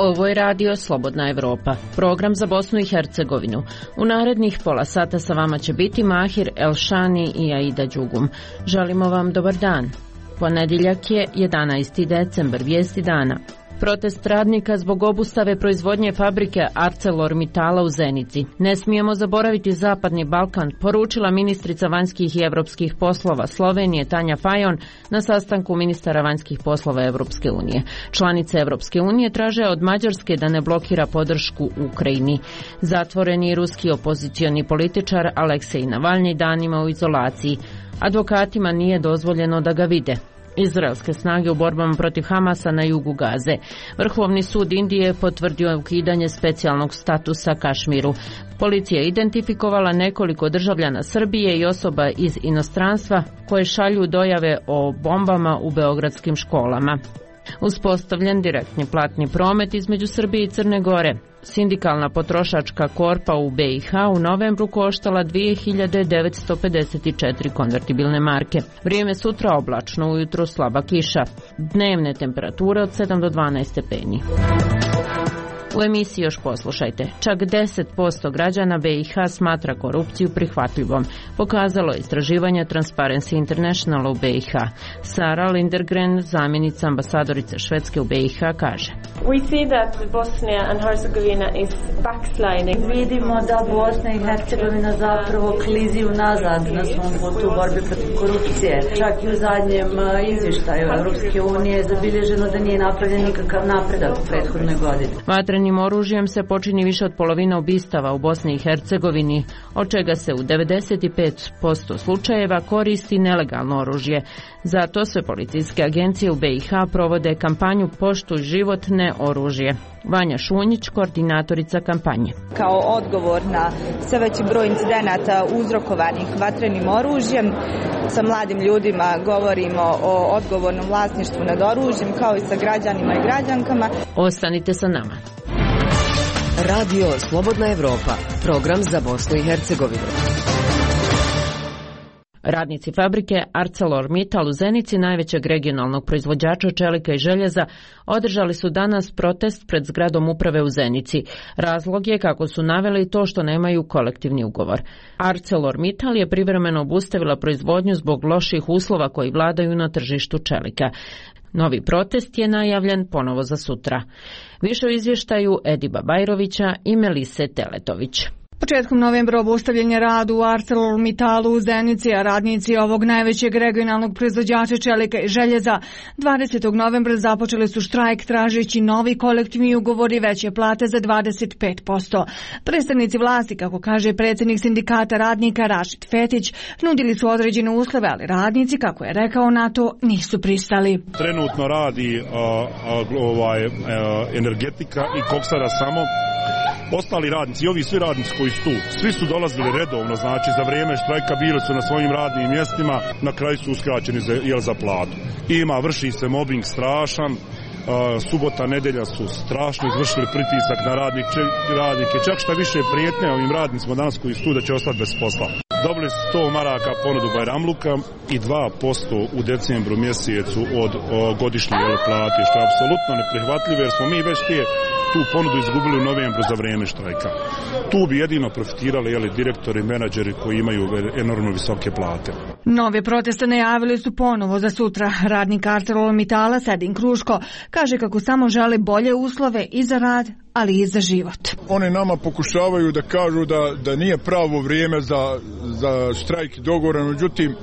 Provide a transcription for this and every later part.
Ovo je radio Slobodna Evropa, program za Bosnu i Hercegovinu. U narednih pola sata sa vama će biti Mahir Elšani i Aida Đugum. Želimo vam dobar dan. Ponedjeljak je 11. decembar, vijesti dana. Protest radnika zbog obustave proizvodnje fabrike ArcelorMittala u Zenici. Ne smijemo zaboraviti Zapadni Balkan, poručila ministrica vanjskih i evropskih poslova Slovenije Tanja Fajon na sastanku ministara vanjskih poslova Evropske unije. Članice Evropske unije traže od Mađarske da ne blokira podršku Ukrajini. Zatvoreni ruski opozicioni političar Aleksej Navalnji danima u izolaciji. Advokatima nije dozvoljeno da ga vide. Izraelske snage u borbama protiv Hamasa na jugu Gaze. Vrhovni sud Indije potvrdio ukidanje specijalnog statusa Kašmiru. Policija je identifikovala nekoliko državljana Srbije i osoba iz inostranstva koje šalju dojave o bombama u beogradskim školama. Uspostavljen direktni platni promet između Srbije i Crne Gore. Sindikalna potrošačka korpa u BiH u novembru koštala 2954 konvertibilne marke. Vrijeme sutra oblačno, ujutro slaba kiša. Dnevne temperature od 7 do 12 stepeni. U emisiji još poslušajte. Čak 10% građana BiH smatra korupciju prihvatljivom, pokazalo je istraživanje Transparency International u BiH. Sara Lindergren, zamjenica ambasadorice Švedske u BiH, kaže: We see that Bosnia and Herzegovina is backsliding. Vidimo da Bosna i Hercegovina zapravo klizi unazad na svom putu u borbi protiv korupcije. Čak i u zadnjem izvještaju Europske unije je zabilježeno da nije napravljen nikakav napredak u prethodnoj godini. Vatrenim oružjem se počini više od polovine ubistava u Bosni i Hercegovini, od čega se u 95% slučajeva koristi nelegalno oružje. Zato sve policijske agencije u BiH provode kampanju Poštuj život, ne oružje. Vanja Šunjić, koordinatorica kampanje. Kao odgovor na sve veći broj incidenata uzrokovanih vatrenim oružjem, sa mladim ljudima govorimo o odgovornom vlasništvu nad oružjem, kao i sa građanima i građankama. Ostanite sa nama. Radio Slobodna Evropa, program za Bosnu i Hercegovinu. Radnici fabrike ArcelorMittal u Zenici, najvećeg regionalnog proizvođača čelika i željeza, održali su danas protest pred zgradom uprave u Zenici. Razlog je, kako su naveli, to što nemaju kolektivni ugovor. ArcelorMittal je privremeno obustavila proizvodnju zbog loših uslova koji vladaju na tržištu čelika. Novi protest je najavljen ponovo za sutra. Više u izvještaju Ediba Bajrovića i Melise Teletović. Početkom novembra obustavljen je rad u ArcelorMittalu u Zenici, a radnici ovog najvećeg regionalnog proizvođača čelika i željeza 20. novembra započeli su štrajk tražeći novi kolektivni ugovor i veće plate za 25%. Predstavnici vlasti, kako kaže predsjednik sindikata radnika Rašid Fetić, nudili su određene uslove, ali radnici, kako je rekao, na to nisu pristali. Trenutno radi energetika i koksara samo. Ostali radnici i ovi svi radnici koji su tu, svi su dolazili redovno, znači za vrijeme štrajka bili su na svojim radnim mjestima, na kraju su uskraćeni za platu. Vrši se mobbing strašan, subota, nedelja su strašno izvršili pritisak na radnike, čak šta više prijetnje ovim radnicima danas koji su tu da će ostati bez posla. Dobili su 100 maraka ponudu Bajramluka i 2% u decembru mjesecu od godišnje plate, što je apsolutno neprihvatljivo jer smo mi već tu ponudu izgubili u novembru za vrijeme štrajka. Tu bi jedino profitirali direktori i menadžeri koji imaju enormno visoke plate. Nove proteste najavili su ponovo za sutra. Radnik ArcelorMittala Sedin Kruško kaže kako samo žele bolje uslove i za rad, ali i za život. One nama pokušavaju da kažu da nije pravo vrijeme za štrajk i dogovor, međutim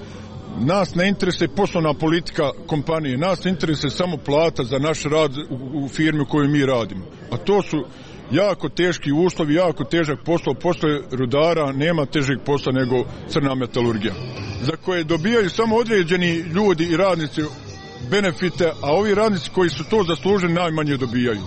nas ne interesuje poslovna politika kompanije, nas interesuje samo plata za naš rad u firmi u kojoj mi radimo. A to su jako teški uslovi, jako težak posao, posle rudara nema težeg posla nego crna metalurgija, za koje dobijaju samo određeni ljudi i radnici benefite, a ovi radnici koji su to zaslužili najmanje dobijaju.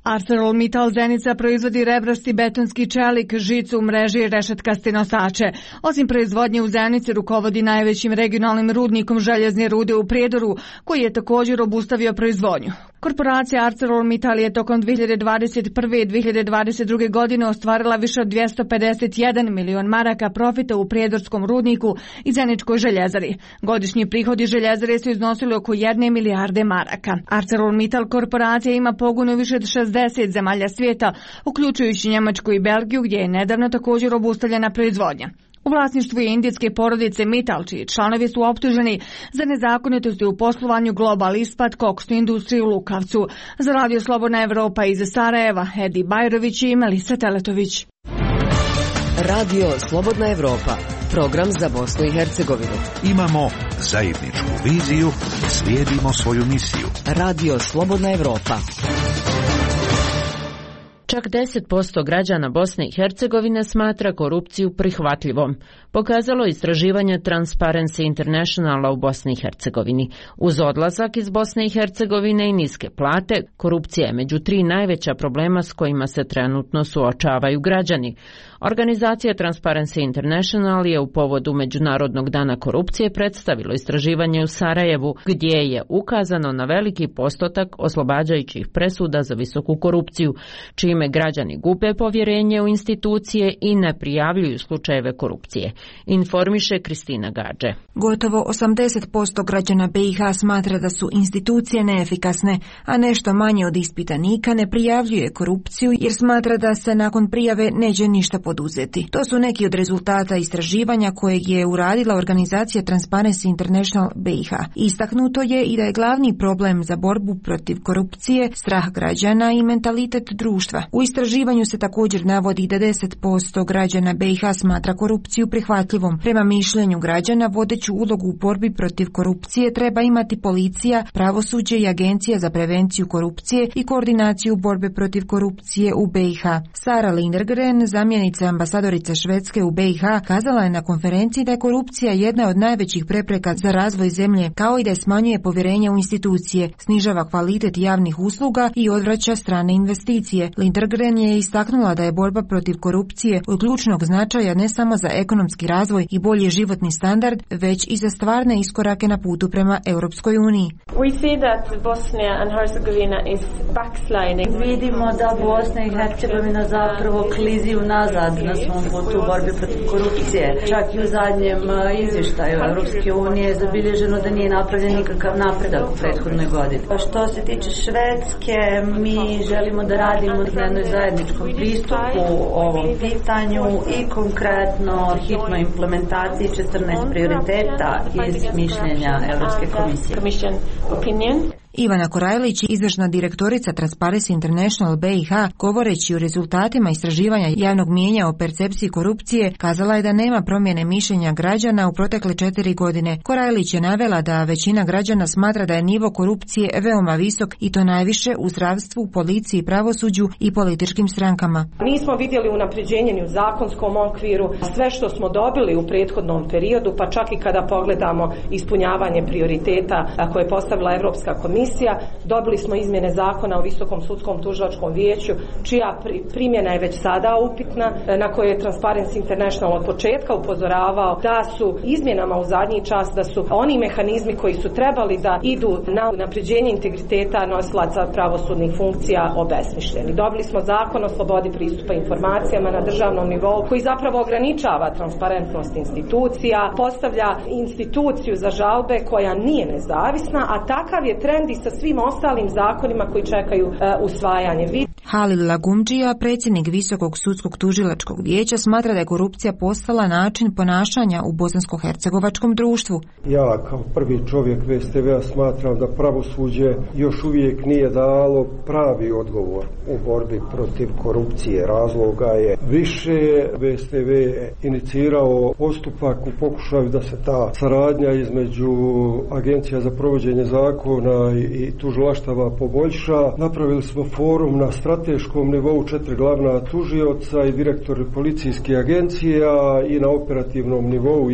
ArcelorMittal Zenica proizvodi rebrasti betonski čelik, žicu u mreži i rešetkaste nosače. Osim proizvodnje u Zenici rukovodi najvećim regionalnim rudnikom željezne rude u Prijedoru, koji je također obustavio proizvodnju. Korporacija ArcelorMittal je tokom 2021. i 2022. godine ostvarila više od 251 milion maraka profita u prijedorskom rudniku i Zeničkoj željezari. Godišnji prihodi željezare su iznosili oko 1 milijarde maraka. ArcelorMittal korporacija ima pogon u više od 60 zemalja svijeta, uključujući Njemačku i Belgiju, gdje je nedavno također obustavljena proizvodnja. U vlasništvu je indijske porodice Mittal, čiji članovi su optuženi za nezakonitosti u poslovanju Global Ispat, koksnu industriju u Lukavcu. Za Radio Slobodna Evropa iz Sarajeva, Edi Bajrović i Melisa Teletović. Radio Slobodna Evropa, program za Bosnu i Hercegovinu. Imamo zajedničku viziju, slijedimo svoju misiju. Radio Slobodna Evropa. Čak 10% građana Bosne i Hercegovine smatra korupciju prihvatljivom, pokazalo istraživanje Transparency Internationala u Bosni i Hercegovini. Uz odlazak iz Bosne i Hercegovine i niske plate, korupcija je među 3 najveća problema s kojima se trenutno suočavaju građani. Organizacija Transparency International je u povodu Međunarodnog dana korupcije predstavilo istraživanje u Sarajevu, gdje je ukazano na veliki postotak oslobađajućih presuda za visoku korupciju, čime građani gube povjerenje u institucije i ne prijavljuju slučajeve korupcije. Informiše Kristina Gađe. Gotovo 80% građana BiH smatra da su institucije neefikasne, a nešto manje od ispitanika ne prijavljuje korupciju jer smatra da se nakon prijave neće ništa poduzeti. To su neki od rezultata istraživanja kojeg je uradila organizacija Transparency International BiH. Istaknuto je i da je glavni problem za borbu protiv korupcije strah građana i mentalitet društva. U istraživanju se također navodi da 10% građana BiH smatra korupciju prihvatljivom. Prema mišljenju građana, vodeću ulogu u borbi protiv korupcije treba imati policija, pravosuđe i agencija za prevenciju korupcije i koordinaciju borbe protiv korupcije u BiH. Sara Lindergren, zamjenica ambasadorice Švedske u BiH, kazala je na konferenciji da je korupcija jedna od najvećih prepreka za razvoj zemlje, kao i da je smanjuje povjerenje u institucije, snižava kvalitet javnih usluga i odvraća strane investicije. Lindergren je istaknula da je borba protiv korupcije od ključnog značaja ne samo za ekonomski razvoj i bolji životni standard, već i za stvarne iskorake na putu prema Europskoj uniji. Vidimo da Bosna i Hercegovina zapravo klizi unazad na svom putu u borbi protiv korupcije. Čak i u zadnjem izvještaju Europske unije je zabilježeno da nije napravljen nikakav napredak u prethodnoj godini. Što se tiče Švedske, mi želimo da radimo na jednoj zajedničkom pristupu ovom pitanju i konkretno hitnoj implementaciji 14 prioriteta iz mišljenja Europske komisije. Ivana Korajlić, izvršna direktorica Transparency International BiH, govoreći o rezultatima istraživanja javnog mijenja o percepciji korupcije, kazala je da nema promjene mišljenja građana u protekle 4 godine. Korajlić je navela da većina građana smatra da je nivo korupcije veoma visok i to najviše u zdravstvu, policiji, pravosuđu i političkim strankama. Nismo vidjeli unapređenje ni u zakonskom okviru, sve što smo dobili u prethodnom periodu, pa čak i kada pogledamo ispunjavanje prioriteta koje je postavila Europska komisija, dobili smo izmjene zakona o Visokom sudskom tužilačkom vijeću, čija primjena je već sada upitna, na koje je Transparency International od početka upozoravao da su izmjenama u zadnji čas, da su oni mehanizmi koji su trebali da idu na unapređenje integriteta nosilaca pravosudnih funkcija obesmišljeni. Dobili smo zakon o slobodi pristupa informacijama na državnom nivou koji zapravo ograničava transparentnost institucija, postavlja instituciju za žalbe koja nije nezavisna, a takav je trend i sa svim ostalim zakonima koji čekaju usvajanje. Halil Lagumdžija, predsjednik Visokog sudskog tužilačkog vijeća, smatra da je korupcija postala način ponašanja u bosansko-hercegovačkom društvu. Ja kao prvi čovjek VSTV-a smatram da pravosuđe još uvijek nije dalo pravi odgovor u borbi protiv korupcije. Razloga je više. VSTV je inicirao postupak u pokušaju da se ta saradnja između agencija za provođenje zakona i tužilaštava poboljša. Napravili smo forum na strateškom nivou 4 glavna tužioca i direktori policijskih agencija i na operativnom nivou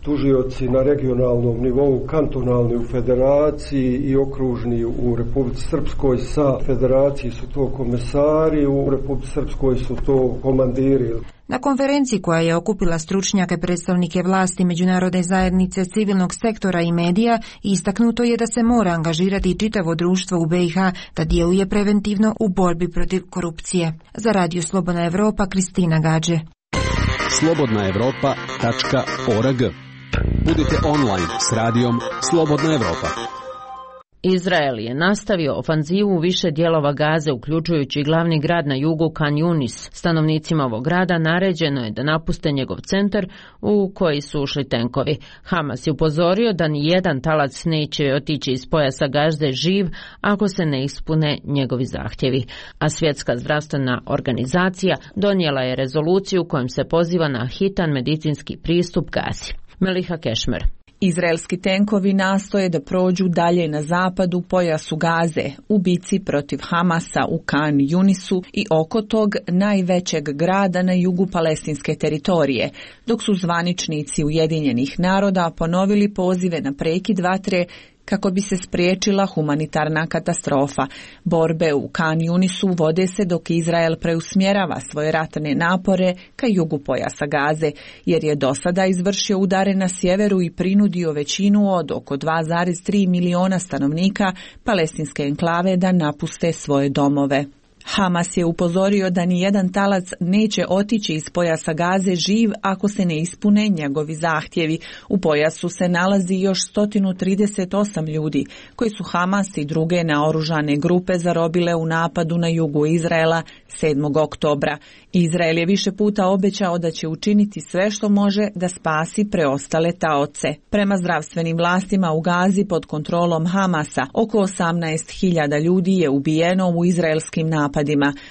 tužioci na regionalnom nivou, kantonalni u federaciji i okružni u Republici Srpskoj. Sa federaciji su to komesari, u Republici Srpskoj su to komandiri. Na konferenciji koja je okupila stručnjake, predstavnike vlasti, međunarodne zajednice, civilnog sektora i medija, istaknuto je da se mora angažirati čitavo društvo u BiH da djeluje preventivno u borbi protiv korupcije. Za Radio Slobodna Evropa, Kristina Gađe. slobodnaevropa.org. Budite online s radijom Slobodna Evropa. Izrael je nastavio ofanzivu u više dijelova Gaze, uključujući glavni grad na jugu Khan Yunis. Stanovnicima ovog grada naređeno je da napuste njegov centar u koji su ušli tenkovi. Hamas je upozorio da ni jedan talac neće otići iz pojasa Gaze živ ako se ne ispune njegovi zahtjevi. A Svjetska zdravstvena organizacija donijela je rezoluciju kojom se poziva na hitan medicinski pristup Gazi. Meliha Kešmer. Izraelski tenkovi nastoje da prođu dalje na zapadu pojasu Gaze u bici protiv Hamasa u Khan Yunisu i oko tog najvećeg grada na jugu palestinske teritorije, dok su zvaničnici Ujedinjenih naroda ponovili pozive na prekid vatre kako bi se spriječila humanitarna katastrofa. Borbe u Khan Yunisu vode se dok Izrael preusmjerava svoje ratne napore ka jugu pojasa Gaze, jer je do sada izvršio udare na sjeveru i prinudio većinu od oko 2,3 miliona stanovnika palestinske enklave da napuste svoje domove. Hamas je upozorio da ni jedan talac neće otići iz pojasa Gaze živ ako se ne ispune njegovi zahtjevi. U pojasu se nalazi još 138 ljudi koji su Hamas i druge naoružane grupe zarobile u napadu na jugu Izraela 7. oktobra. Izrael je više puta obećao da će učiniti sve što može da spasi preostale taoce. Prema zdravstvenim vlastima u Gazi pod kontrolom Hamasa oko 18.000 ljudi je ubijeno u izraelskim napadima,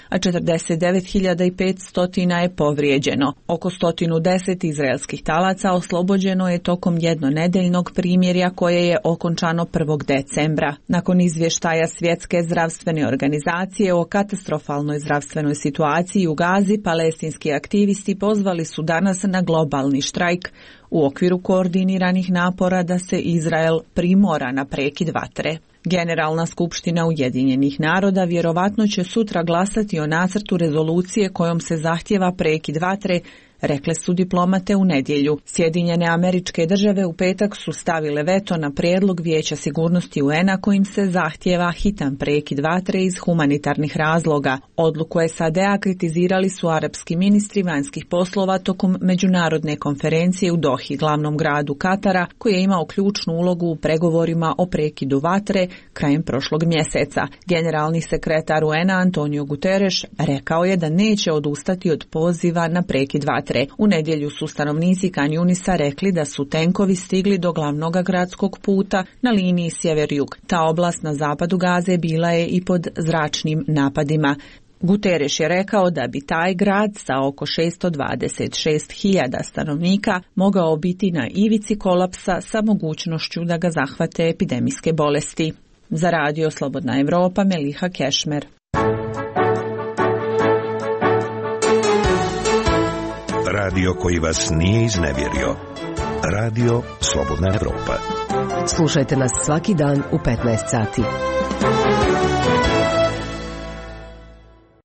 a 49.500 je povrijeđeno. Oko 110 izraelskih talaca oslobođeno je tokom jednonedeljnog primirja koje je okončano 1. decembra. Nakon izvještaja Svjetske zdravstvene organizacije o katastrofalnoj zdravstvenoj situaciji u Gazi, palestinski aktivisti pozvali su danas na globalni štrajk u okviru koordiniranih napora da se Izrael primora na prekid vatre. Generalna skupština Ujedinjenih naroda vjerovatno će sutra glasati o nacrtu rezolucije kojom se zahtjeva prekid vatre, rekle su diplomate u nedjelju. Sjedinjene Američke Države u petak su stavile veto na prijedlog Vijeća sigurnosti UN-a kojim se zahtjeva hitan prekid vatre iz humanitarnih razloga. Odluku SAD-a kritizirali su arapski ministri vanjskih poslova tokom međunarodne konferencije u Dohi, glavnom gradu Katara, koji je imao ključnu ulogu u pregovorima o prekidu vatre krajem prošlog mjeseca. Generalni sekretar UN-a Antonio Guterres rekao je da neće odustati od poziva na prekid vatre. U nedjelju su stanovnici Khan Yunisa rekli da su tenkovi stigli do glavnog gradskog puta na liniji sjever-jug. Ta oblast na zapadu Gaze bila je i pod zračnim napadima. Guterres je rekao da bi taj grad sa oko 626.000 stanovnika mogao biti na ivici kolapsa sa mogućnošću da ga zahvate epidemijske bolesti. Za Radio Slobodna Evropa, Meliha Kešmer. Radio koji vas nije iznevjerio. Radio Slobodna Evropa. Slušajte nas svaki dan u 15 sati.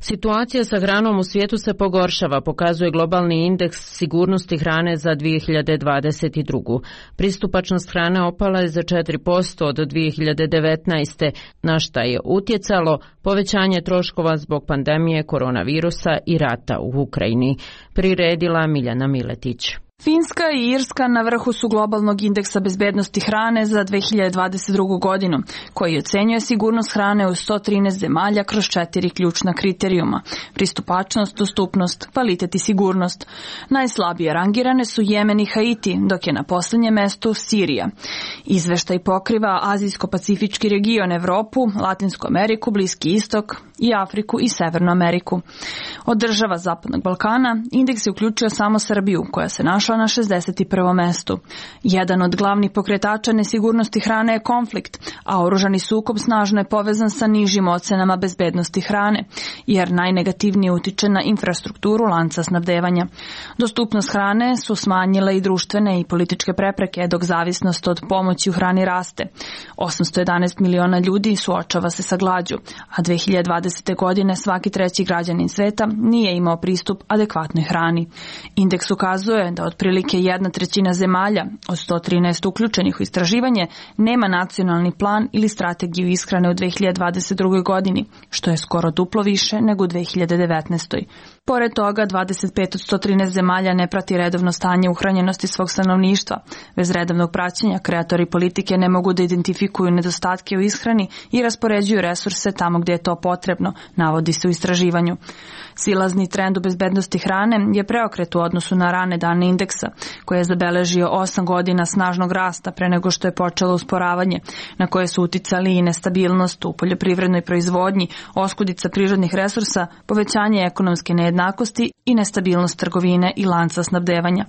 Situacija sa hranom u svijetu se pogoršava, pokazuje globalni indeks sigurnosti hrane za 2022. Pristupačnost hrane opala je za 4% od 2019. na šta je utjecalo povećanje troškova zbog pandemije koronavirusa i rata u Ukrajini. Priredila Miljana Miletić. Finska i Irska na vrhu su globalnog indeksa bezbednosti hrane za 2022. godinu, koji ocenjuje sigurnost hrane u 113 zemalja kroz 4 ključna kriterijuma: pristupačnost, dostupnost, kvalitet i sigurnost. Najslabije rangirane su Jemen i Haiti, dok je na posljednjem mjestu Sirija. Izveštaj pokriva Azijsko-pacifički region, Evropu, Latinsku Ameriku, Bliski istok i Afriku i Severnu Ameriku. Od država Zapadnog Balkana indeks je uključio samo Srbiju, koja se našla na 61. mjestu. Jedan od glavnih pokretača nesigurnosti hrane je konflikt, a oružani sukob snažno je povezan sa nižim ocenama bezbednosti hrane, jer najnegativnije utiče na infrastrukturu lanca snabdevanja. Dostupnost hrane su smanjile i društvene i političke prepreke, dok zavisnost od pomoći u hrani raste. 811 miliona ljudi suočava se sa glađu, a 2020. 2020. godine svaki treći građanin sveta nije imao pristup adekvatnoj hrani. Indeks ukazuje da otprilike 1/3 zemalja od 113 uključenih u istraživanje nema nacionalni plan ili strategiju ishrane u 2022. godini, što je skoro duplo više nego u 2019. Pored toga, 25 od 113 zemalja ne prati redovno stanje uhranjenosti svog stanovništva. Bez redovnog praćenja kreatori politike ne mogu da identifikuju nedostatke u ishrani i raspoređuju resurse tamo gdje je to potrebno, navodi se u istraživanju. Silazni trend u bezbednosti hrane je preokret u odnosu na rane dane indeksa, koji je zabeležio 8 godina snažnog rasta pre nego što je počelo usporavanje, na koje su uticali i nestabilnost u poljoprivrednoj proizvodnji, oskudica prirodnih resursa, povećanje ekonomske nejednakosti i nestabilnost trgovine i lanca snabdevanja.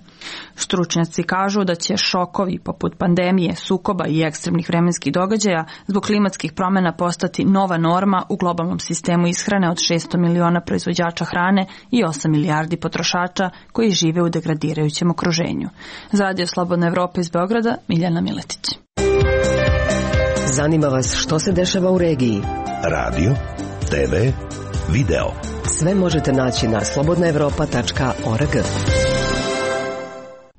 Stručnjaci kažu da će šokovi poput pandemije, sukoba i ekstremnih vremenskih događaja zbog klimatskih promjena postati nova norma u globalnom sistemu ishrane od 600 miliona proizvođača hrane i 8 milijardi potrošača koji žive u degradirajućem okruženju. Za Radio Slobodna Evropa iz Beograda, Miljana Miletić. Zanima vas što se dešava u regiji? Radio, TV, video. Sve možete naći na slobodnaevropa.org.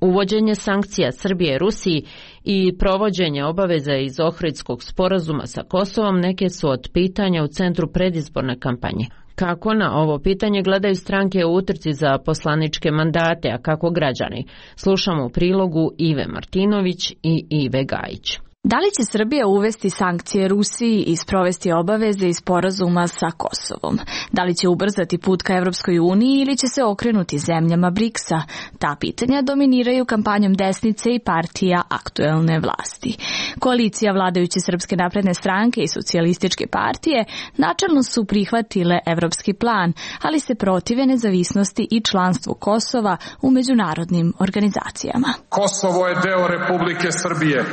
Uvođenje sankcija Srbije Rusiji i provođenje obaveza iz Ohridskog sporazuma sa Kosovom neke su od pitanja u centru predizborne kampanje. Kako na ovo pitanje gledaju stranke u utrci za poslaničke mandate, a kako građani? Slušamo u prilogu Ive Martinović i Ive Gajić. Da li će Srbija uvesti sankcije Rusiji i sprovesti obaveze iz sporazuma sa Kosovom? Da li će ubrzati put ka Evropskoj uniji ili će se okrenuti zemljama BRICS-a? Ta pitanja dominiraju kampanjom desnice i partija aktuelne vlasti. Koalicija vladajuće Srpske napredne stranke i socijalističke partije načelno su prihvatile evropski plan, ali se protive nezavisnosti i članstvu Kosova u međunarodnim organizacijama. Kosovo je deo Republike Srbije.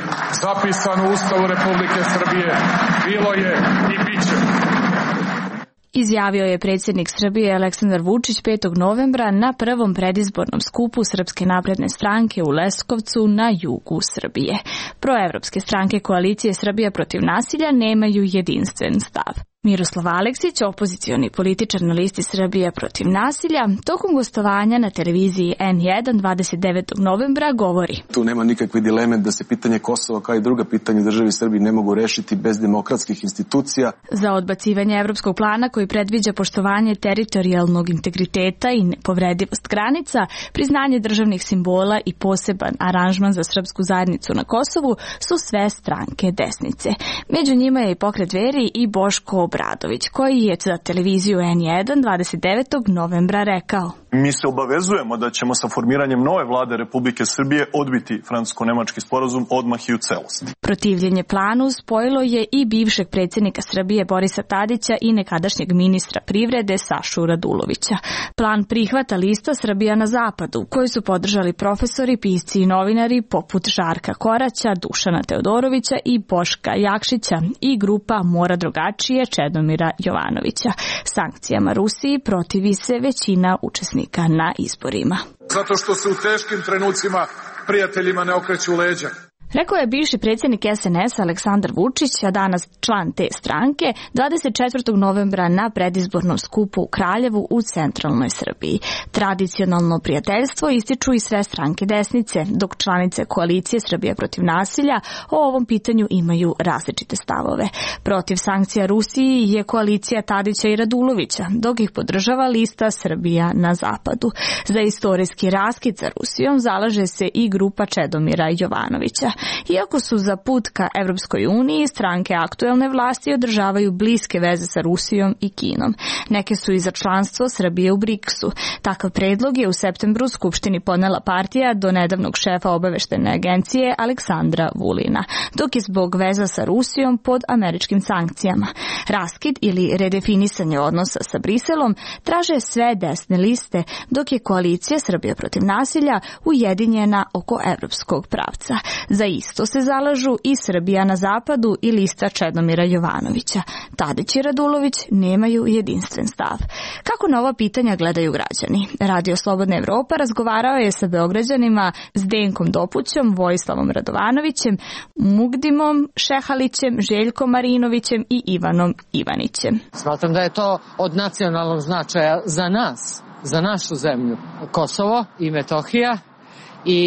U Ustavu Republike Srbije bilo je i bit će. Izjavio je predsjednik Srbije Aleksandar Vučić 5. novembra na prvom predizbornom skupu Srpske napredne stranke u Leskovcu na jugu Srbije. Proevropske stranke koalicije Srbija protiv nasilja nemaju jedinstven stav. Miroslav Aleksić, opozicioni političar na listi Srbija protiv nasilja, tokom gostovanja na televiziji N1 29. novembra govori: Tu nema nikakve dileme da se pitanje Kosova kao i druga pitanja u državi Srbiji ne mogu rešiti bez demokratskih institucija. Za odbacivanje evropskog plana koji predviđa poštovanje teritorijalnog integriteta i nepovredivost granica, priznanje državnih simbola i poseban aranžman za srpsku zajednicu na Kosovu su sve stranke desnice. Među njima je i Pokret Dveri i Boško Obradović, koji je za televiziju N1 29. novembra rekao: Mi se obavezujemo da ćemo sa formiranjem nove vlade Republike Srbije odbiti francusko-nemački sporazum odmah i u celosti. Protivljenje planu spojilo je i bivšeg predsjednika Srbije Borisa Tadića i nekadašnjeg ministra privrede Sašu Radulovića. Plan prihvata lista Srbija na zapadu, koju su podržali profesori, pisci i novinari poput Žarka Koraća, Dušana Teodorovića i Boška Jakšića i grupa Mora drugačije Čedomira Jovanovića. Sankcijama Rusiji protivi se većina učesnika na izborima. Zato što se u teškim trenucima prijateljima ne okreću leđa. Rekao je bivši predsjednik SNS Aleksandar Vučić, a danas član te stranke, 24. novembra na predizbornom skupu u Kraljevu u centralnoj Srbiji. Tradicionalno prijateljstvo ističu i sve stranke desnice, dok članice koalicije Srbija protiv nasilja o ovom pitanju imaju različite stavove. Protiv sankcija Rusiji je koalicija Tadića i Radulovića, dok ih podržava lista Srbija na zapadu. Za istorijski raskid sa Rusijom zalaže se i grupa Čedomira Jovanovića. Iako su za put ka Evropskoj uniji, stranke aktuelne vlasti održavaju bliske veze sa Rusijom i Kinom. Neke su i za članstvo Srbije u BRICS-u. Takav predlog je u septembru Skupštini podnela partija do nedavnog šefa obaveštene agencije Aleksandra Vulina, dok je zbog veza sa Rusijom pod američkim sankcijama. Raskid ili redefinisanje odnosa sa Briselom traže sve desne liste, dok je koalicija Srbija protiv nasilja ujedinjena oko evropskog pravca. Za isto se zalažu i Srbija na zapadu i lista Čedomira Jovanovića. Tadić i Radulović nemaju jedinstven stav. Kako na ova pitanja gledaju građani? Radio Slobodna Evropa razgovarao je sa Beograđanima Zdenkom Dopućom, Vojislavom Radovanovićem, Mugdimom Šehalićem, Željkom Marinovićem i Ivanom Ivanićem. Smatram da je to od nacionalnog značaja za nas, za našu zemlju. Kosovo i Metohija i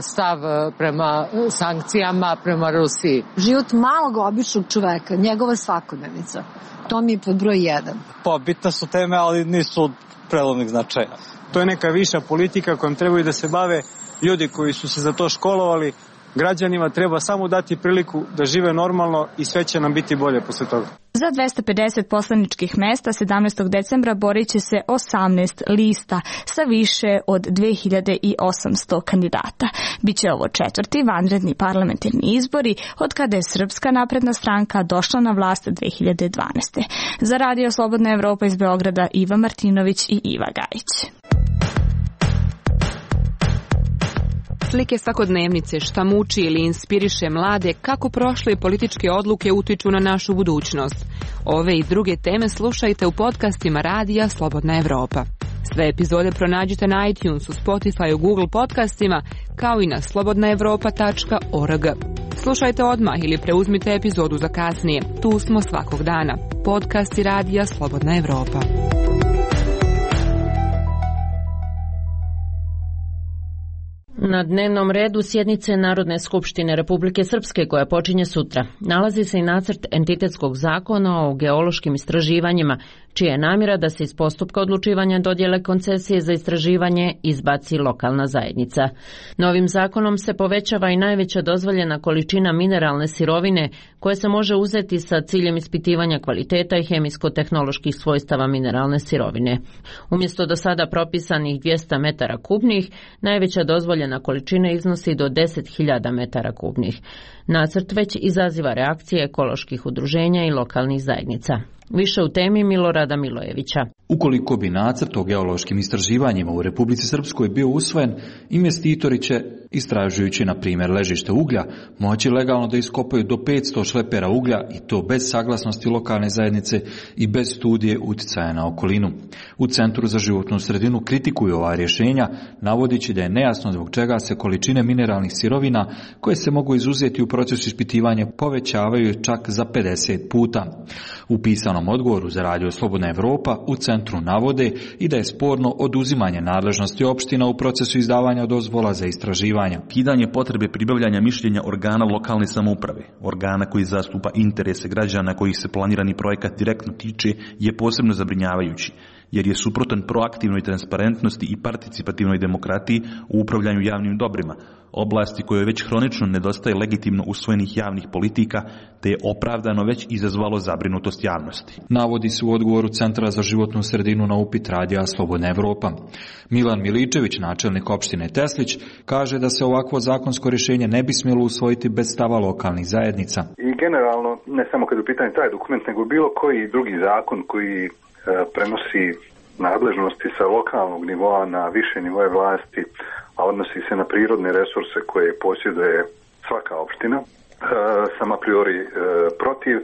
stav prema sankcijama prema Rusiji. Život malog običnog čoveka, njegova svakodnevnica, to mi je pod broj 1. Pa bitne su teme, ali nisu od prelomnih značaja. To je neka viša politika kojom trebaju da se bave ljudi koji su se za to školovali. Građanima treba samo dati priliku da žive normalno i sve će nam biti bolje posle toga. Za 250 poslaničkih mesta 17. decembra borit će se 18 lista sa više od 2800 kandidata. Biće ovo 4. vanredni parlamentarni izbori od kada je Srpska napredna stranka došla na vlast 2012. Za Radio Slobodna Evropa iz Beograda Iva Martinović i Iva Gajić. Slike svakodnevnice, šta muči ili inspiriše mlade, kako prošle političke odluke utiču na našu budućnost. Ove i druge teme slušajte u podcastima Radija Slobodna Evropa. Sve epizode pronađite na iTunesu, Spotifyu, Google podcastima, kao i na slobodnaevropa.org. Slušajte odmah ili preuzmite epizodu za kasnije. Tu smo svakog dana. Podcasti Radija Slobodna Evropa. Na dnevnom redu sjednice Narodne skupštine Republike Srpske, koja počinje sutra, nalazi se i nacrt entitetskog zakona o geološkim istraživanjima, čija je namjera da se iz postupka odlučivanja dodjele koncesije za istraživanje izbaci lokalna zajednica. Novim zakonom se povećava i najveća dozvoljena količina mineralne sirovine koja se može uzeti sa ciljem ispitivanja kvaliteta i hemijsko-tehnoloških svojstava mineralne sirovine. Umjesto do sada propisanih 200 metara kubnih, najveća dozvoljena količina iznosi do 10.000 metara kubnih. Nacrt već izaziva reakcije ekoloških udruženja i lokalnih zajednica. Više u temi Milorada Milojevića. Ukoliko bi nacrt o geološkim istraživanjima u Republici Srpskoj bio usvojen, investitori će, istražujući na primjer ležište uglja, moći legalno da iskopaju do 500 šlepera uglja i to bez saglasnosti lokalne zajednice i bez studije uticaja na okolinu. U Centru za životnu sredinu kritikuju ova rješenja, navodići da je nejasno zbog čega se količine mineralnih sirovina koje se mogu izuzeti u procesu ispitivanja povećavaju čak za 50 puta. U pisanom odgovoru za Radio Slobodna Evropa u centru navode i da je sporno oduzimanje nadležnosti opština u procesu izdavanja dozvola za istraživanja. Kidanje potrebe pribavljanja mišljenja organa lokalne samouprave, organa koji zastupa interese građana kojih se planirani projekat direktno tiče, je posebno zabrinjavajući, jer je suprotan proaktivnoj transparentnosti i participativnoj demokratiji u upravljanju javnim dobrima, oblasti kojoj već hronično nedostaje legitimno usvojenih javnih politika, te je opravdano već izazvalo zabrinutost javnosti. Navodi se u odgovoru Centra za životnu sredinu na upit Radija Slobodna Evropa. Milan Miličević, načelnik opštine Teslić, kaže da se ovakvo zakonsko rješenje ne bi smjelo usvojiti bez stava lokalnih zajednica. I generalno, ne samo kad je u pitanju taj dokument, nego bilo koji drugi zakon koji prenosi nadležnosti sa lokalnog nivoa na više nivoje vlasti, a odnosi se na prirodne resurse koje posjeduje svaka opština, sam a priori protiv.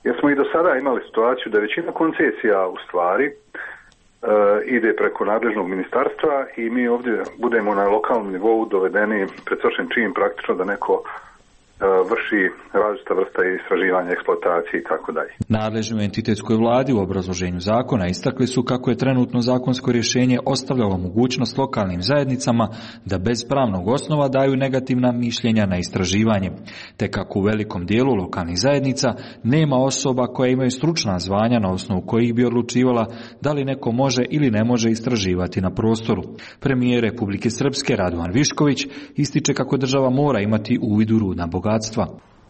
Jer smo i do sada imali situaciju da većina koncesija u stvari ide preko nadležnog ministarstva i mi ovdje budemo na lokalnom nivou dovedeni pred svršen čin praktično da neko vrši različita vrsta istraživanja, eksploatacije i tako dalje. Nadležni u entitetskoj vladi u obrazloženju zakona istakli su kako je trenutno zakonsko rješenje ostavljalo mogućnost lokalnim zajednicama da bez pravnog osnova daju negativna mišljenja na istraživanje, te kako u velikom dijelu lokalnih zajednica nema osoba koje imaju stručna zvanja na osnovu kojih bi odlučivala da li neko može ili ne može istraživati na prostoru. Premijer Republike Srpske Radovan Višković ističe kako država mora imati uvid u rudna bogatstva.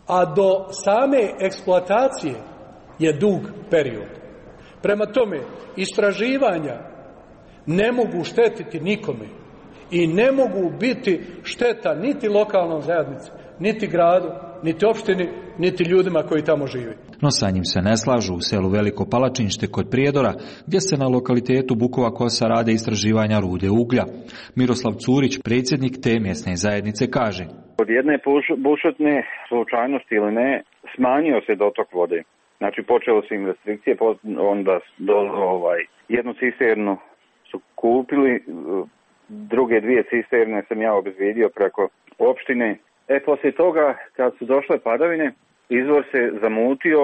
A do same eksploatacije je dug period. Prema tome, istraživanja ne mogu štetiti nikome i ne mogu biti šteta niti lokalnom zajednici, niti gradu, niti opštini, niti ljudima koji tamo žive. No sa njim se ne slažu u selu Veliko Palačinšte kod Prijedora, gdje se na lokalitetu Bukova Kosa rade istraživanja rude uglja. Miroslav Curić, predsjednik te mjesne zajednice, kaže: Od jedne bušotne slučajnosti ili ne, smanjio se dotok vode. Znači počelo su im restrikcije, onda jednu cisternu su kupili, druge dvije cisterne sam ja obezbijedio preko opštine. Poslije toga, kad su došle padavine, izvor se zamutio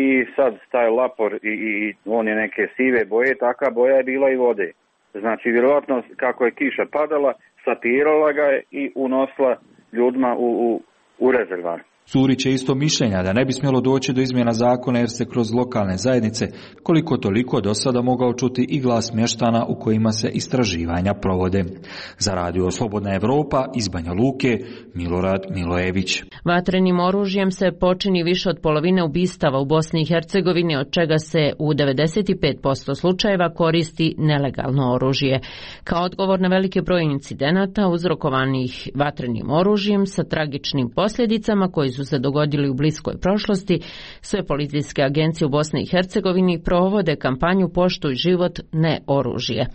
i sad taj lapor i on je neke sive boje, taka boja je bila i vode. Znači, vjerojatno kako je kiša padala, sapirala ga je i unosila ljudima u rezervar. Curić je isto mišljenja da ne bi smjelo doći do izmjena zakona jer se kroz lokalne zajednice koliko toliko do sada mogao čuti i glas mještana u kojima se istraživanja provode. Za Radio Slobodna Evropa iz Banja Luke, Milorad Milojević. Vatrenim oružjem se počini više od polovine ubistava u Bosni i Hercegovini, od čega se u 95% slučajeva koristi nelegalno oružje. Kao odgovor na veliki broj incidenata uzrokovanih vatrenim oružjem sa tragičnim posljedicama koji su se dogodili u bliskoj prošlosti, sve policijske agencije u Bosni i Hercegovini provode kampanju Poštuj život, ne oružje.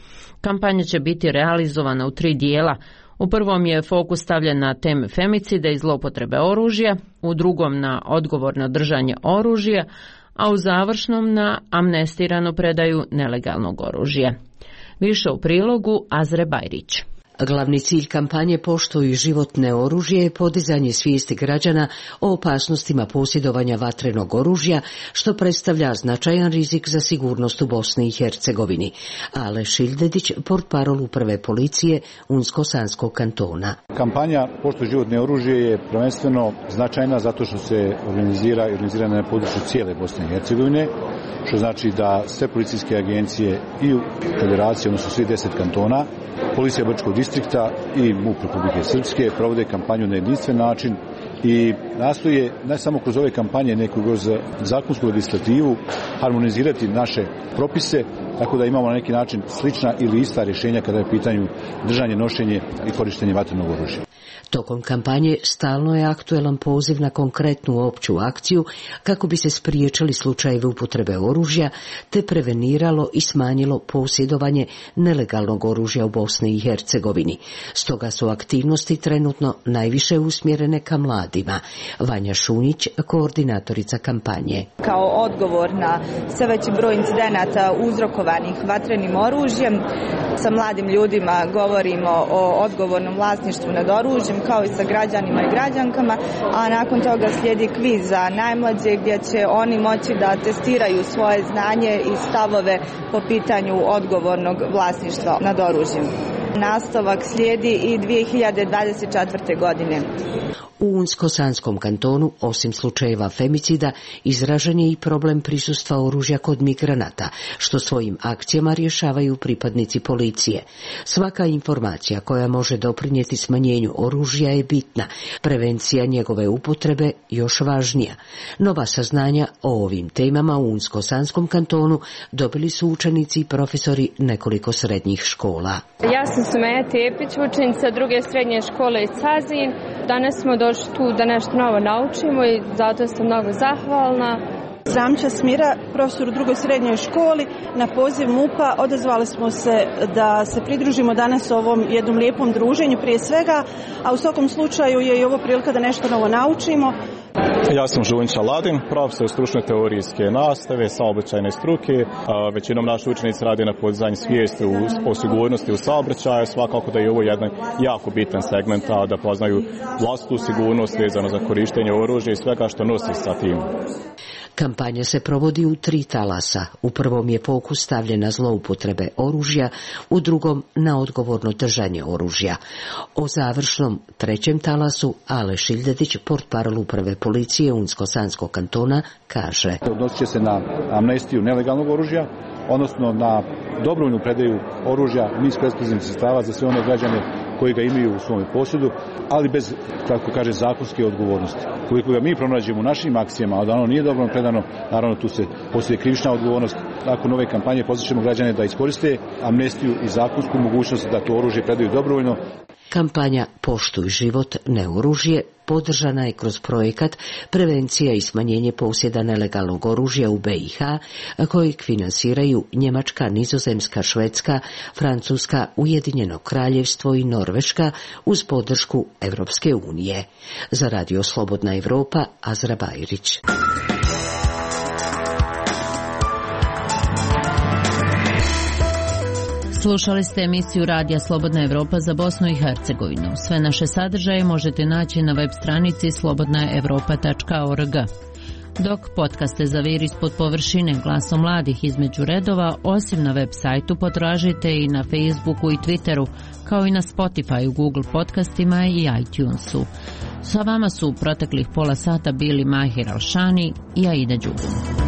Kampanja će biti realizovana u 3 dijela. U prvom je fokus stavljen na teme femicida i zloupotrebe oružja, u drugom na odgovorno držanje oružja, a u završnom na amnestiranu predaju nelegalnog oružja. Više u prilogu Azre Bajrić. Glavni cilj kampanje Poštuj život, ne oružje je podizanje svijesti građana o opasnostima posjedovanja vatrenog oružja, što predstavlja značajan rizik za sigurnost u Bosni i Hercegovini. Ale Šildedić, portparol uprave policije Unsko-Sanskog kantona. Kampanja Poštuj život, ne oružje je prvenstveno značajna zato što se organizira na području cijele Bosne i Hercegovine, što znači da sve policijske agencije i u federaciji, odnosno svi 10 kantona, policija Brčkog distrikta i MUP Republike Srpske provode kampanju na jedinstven način i nastoje ne samo kroz ove kampanje, nego kroz zakonsku legislativu harmonizirati naše propise, tako da imamo na neki način slična ili ista rješenja kada je u pitanju držanje, nošenje i korištenje vatrenog oružja. Tokom kampanje stalno je aktuelan poziv na konkretnu opću akciju kako bi se spriječili slučajevi upotrebe oružja te preveniralo i smanjilo posjedovanje nelegalnog oružja u Bosni i Hercegovini. Stoga su aktivnosti trenutno najviše usmjerene ka mladima. Vanja Šunić, koordinatorica kampanje. Kao odgovor na sve veći broj incidenata uzrokovanih vatrenim oružjem, sa mladim ljudima govorimo o odgovornom vlasništvu nad oružjem, kao i sa građanima i građankama, a nakon toga slijedi kviz za najmlađe gdje će oni moći da testiraju svoje znanje i stavove po pitanju odgovornog vlasništva nad oružjem. Nastavak slijedi i 2024. godine. U Unsko-Sanskom kantonu, osim slučajeva femicida, izražen je i problem prisustva oružja kod migranata, što svojim akcijama rješavaju pripadnici policije. Svaka informacija koja može doprinijeti smanjenju oružja je bitna, prevencija njegove upotrebe još važnija. Nova saznanja o ovim temama u Unsko-Sanskom kantonu dobili su učenici i profesori nekoliko srednjih škola. Ja sam Sumeja Tepić, učenica druge srednje škole iz Cazin. Danas smo došli tu da nešto novo naučimo i zato sam mnogo zahvalna. Zamča Smira, profesor u drugoj srednjoj školi. Na poziv MUP-a odazvali smo se da se pridružimo danas ovom jednom lijepom druženju prije svega, a u svakom slučaju je i ovo prilika da nešto novo naučimo. Ja sam Žunjić Aladin, profesor stručne teorijske nastave, saobraćajne struke. Većinom naši učenici radi na podizanju svijesti o sigurnosti u saobraćaju. Svakako da je ovo jedan jako bitan segment da poznaju vlastitu sigurnost vezano za korištenje oružja i svega što nosi sa tim. Kampanja se provodi u 3 talasa. U prvom je fokus stavljen na zloupotrebe oružja, u drugom na odgovorno držanje oružja. O završnom 3. talasu Ale Šildedić, portparol uprave policije Unsko-Sanskog kantona, kaže: Odnosit će se na amnestiju nelegalnog oružja, odnosno na dobrovoljnu predaju oružja, minsko-eksplozivnih sredstava za sve one građane koji ga imaju u svom posjedu, ali bez, kako kaže, zakonske odgovornosti. Koliko ga mi pronađemo u našim akcijama, a da ono nije dobro predano, naravno tu se postoji krivična odgovornost. Nakon ove kampanje pozvaćemo građane da iskoriste amnestiju i zakonsku mogućnost da to oružje predaju dobrovoljno. Kampanja Poštuj život, ne oružje podržana je kroz projekat Prevencija i smanjenje posjeda nelegalnog oružja u BiH, kojeg finansiraju Njemačka, Nizozemska, Švedska, Francuska, Ujedinjeno Kraljevstvo i Norveška uz podršku Europske unije. Za Radio Slobodna Evropa, Azra Bajrić. Slušali ste emisiju Radija Slobodna Evropa za Bosnu i Hercegovinu. Sve naše sadržaje možete naći na web stranici slobodnaevropa.org. Dok podcaste Zaviri ispod površine, glasom mladih između redova, osim na web sajtu potražite i na Facebooku i Twitteru, kao i na Spotifyu, Google podcastima i iTunesu. Sa vama su u proteklih pola sata bili Mahir Alšani i Aida Đugum.